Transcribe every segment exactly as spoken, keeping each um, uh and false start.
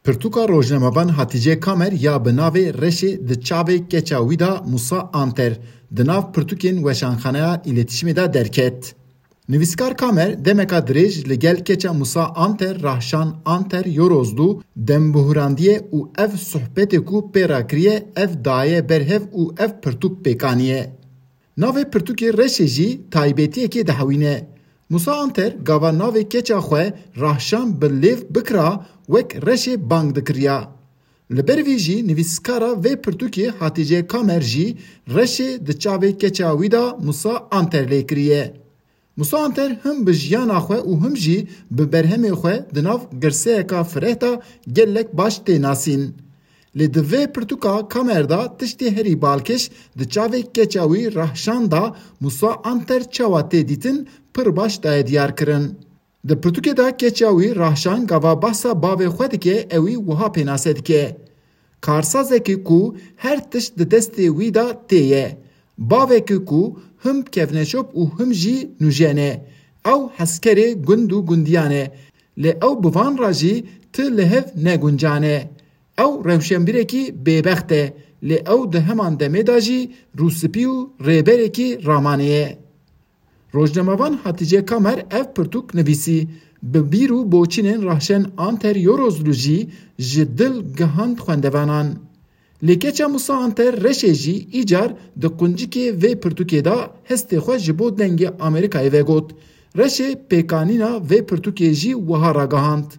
Pirtûka rojnamevan Hatîce Kamer ya bi navê Reşê di çavê keça wî de Musa Anter di nav pirtûkên Weşanxaneya Îletişimê de derket. Nivîskar Kamer demeka dirêj li gel keça Musa Anter Rahşan Anter Yorozlu dembihurandiye û ev sohbetê ku pê re kiriye ev daye ber hev û ev pirtûk pêk aniye. Navê pirtûkê Reşê jî taybetiyekê dihewîne. Musa Anter gava navê keça xwe Rahşan bi lêv bikira wek Reşê bang dikiriya. Li ber vî jî nivîskara vê pirtûkê Hatîce Kamer jî Reşê di çavê keça wî de Musa Anter lê kiriye. Musa Anter him bi jiyana xwe û him jî bi berhemê xwe di nav girseyeka fireh de gelek baş tê nasîn. Lê di vê pirtûka Kamer de tiştê herî balkêş di çavê keça wî Rahşan de Musa Anter çawa tê dîtin pir baş daye diyar kirin. Di pirtûkê de keça wî Rahşan gava behsa bavê xwe dike ewî wiha pênase dike. Karsazekî ku her tişt di destê wî de tê ye. Bavekî ku him kevneşop û him jî nûjen e. Ew hezkerê gund û gundiyan e. Lê ew bi van re jî ti li hev neguncan e. Ew rewşenbîrekî bêbext e. Lê ew di heman demê de jî rûspî û rêberekî ramanê ye. Rojnamevan Hatîce Kamer ev pirtûk nivîsî, bi bîr û boçînên Rahşan Anter Yorozlu jî ji dil gihand xwendevanan. Lê keça Musa Anter Reşê jî îcar di quncikê vê pirtûkê de hestê xwe ji bo Dengê Amerîkayê vegot. Reşê pêkanîna vê pirtûkê jî wiha ragihand.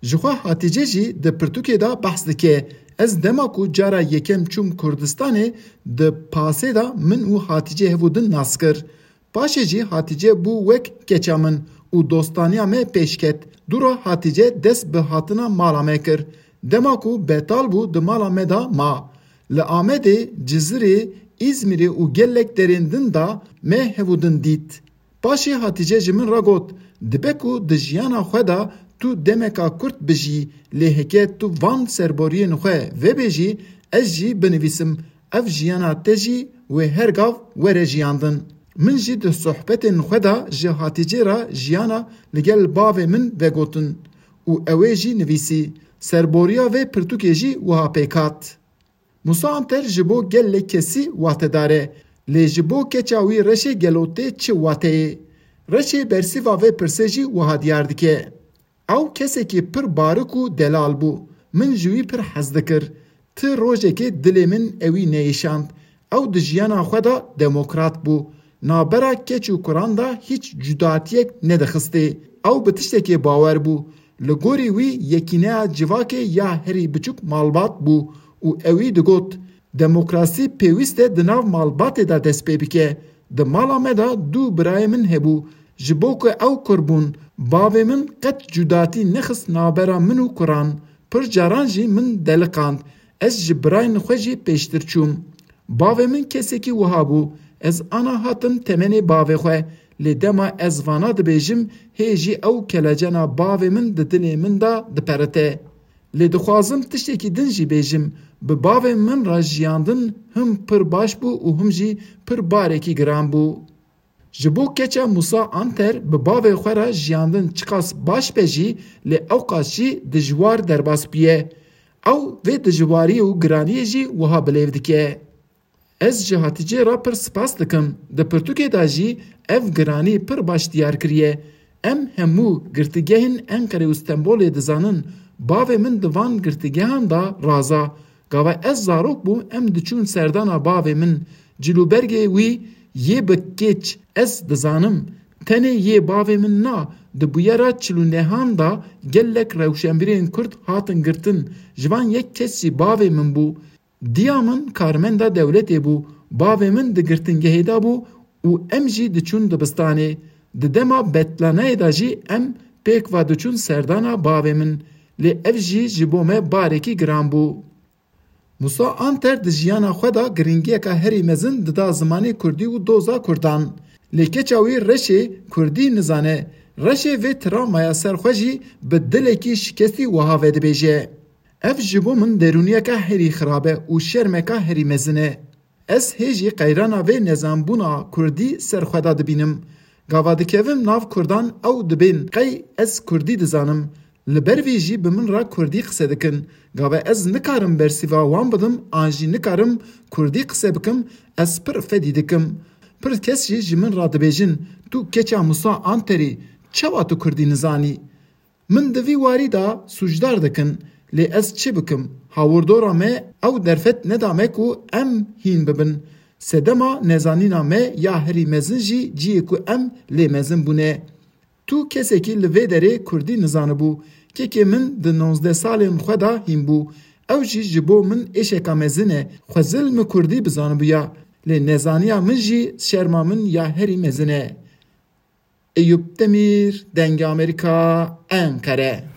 Ji xwe Hatîce jî di pirtûkê de behs dike, Ez dema ku cara yekem çûm Kurdistanê, di pasê de min û Hatîcê hev û din nas kir. Paşê jî Hatîce bû wek keça min û dostaniya me pêş ket. Dûra Hatîce dest bi hatina mala me kir. Dema ku betal bû di mala me de ma. Li Amedê, Cizirê, Îzmîrê û gelek derên din de me hev û din dît. Paşê Hatîce ji min re got, Dibe ku di jiyana xwe de tu demeka kurt bijî, lê heke tu van serboriyên xwe vebêjî, ez jî binivîsim, ev jiyana te jî wê her gav were jiyandin. Min jî di sohbetên xwe de ji Hatîcê re jiyana li gel bavê min vegotin û ew ê jî nivîsî. Serboriya vê pirtûkê jî wiha pêk hat. Musa Anter ji bo gelek kesî watedar e, lê ji bo keça wî Reşê gelo tê çi wateyê? Reşê bersiva vê pirsê jî wiha diyar dike. Ew kesekî pir barik û delal bû. Min ji wî pir hez dikir. Ti rojekê dilê min ewî neyêşand. Ew di jiyana xwe de demokrat bû. Navbera keç û kuran de hîç cudatiyek nedixistê. Ew bi tiştekê bawer bû. Li gorî wî yekîneya civakê ya herî biçûk malbat bû û ewî digot, Demokrasî pêwîst e di nav malbatê de dest pê bike. Di mala me de du birayê min hebû. Ji bo ku ew kur bûn, bavê min qet cudatî nexist navbera min û kuran. Pir caran jî min deliqand. Ez ji birayên xwe jî pêştir çûm. Bavê min kesekî wiha bû. Ez ana hatim temenê bavê xwe. Lê dema ez vana dibêjim, hê jî ew kelecena bavê min di dilê min de diperite. Lê dixwazim tiştekî din jî bêjim, bi bavê min re jiyandin him pir baş bû û him jî pir barekî giran bû. Ji bo keça Musa Anter bi bavê xwe re jiyandin çiqas baş be jî, lê ewqas jî dijwar derbas bûye. Ew vê dijwariyê û giraniyê jî wiha bilêv dike. Ez ji Hatîcê re pir spas dikim. Di pirtûkê de jî ev giranî pir baş diyar kiriye. Em hemû girtîgehên Enqerê û Stenbolê dizanin. Bavê min di van girtîgehan de raza. Gava ez zarok bûm, em diçûn serdana bavê min. Cilûbergê wî yê bi kêç ez dizanim. Tenê yê bavê min na, di bûyera çil û nehan de gelek rewşenbîrên Kurd hatin girtin. Ji van yek kes jî bavê min bû. Diya min karmenda dewletê bû, bavê min di girtingehê de bû û em jî diçûn dibistanê. Di dema betlanayê de jî em pêk ve diçûn serdana bavê min. Lê ev jî ji bo me barekî giran bû. Musa Anter di jiyana xwe de giringiyeka herî mezin dida zimanê kurdî û doza kurdan. Lê keça wî Reşê kurdî nizane. Reşê vê travmaya ser xwe jî bi dilekî şikestî wiha vedibêje. Ev ji bo min derûniyeke herî xirab e û şermeke herî mezin e. Ez hê jî qeyrana vê nezanbûna kurdî ser xwe de dibînim. Gava dikevim nav kurdan ew dibên qey ez kurdî dizanim. Li ber vê jî bi min re kurdî qise dikin. Gava ez nikarim bersîva wan bidim an jî nikarim kurdî qise bikim, ez pir fedî dikim. Pir kes jî ji min re dibêjin, tu keça Musa Anterî, çawa tu kurdî nizanî? Min di vî warî de sûcdar dikin, lê ez çi bikim? Hawirdora me ew derfet neda me ku em hîn bibin. Sedema nezanîna me ya herî mezin jî ciyê ku em lê mezin bûne. Tu kesekî li vê derê kurdî nizanibû. Kekê min di nozdeh salên xwe de hîn bû. Ew jî ji bo min êşeka mezin e. Xwezil min kurdî bizanibûya. Lê nezaniya min jî şerma min ya herî mezin e. Eyûp Demîr, Dengê Amerîka, Enqere.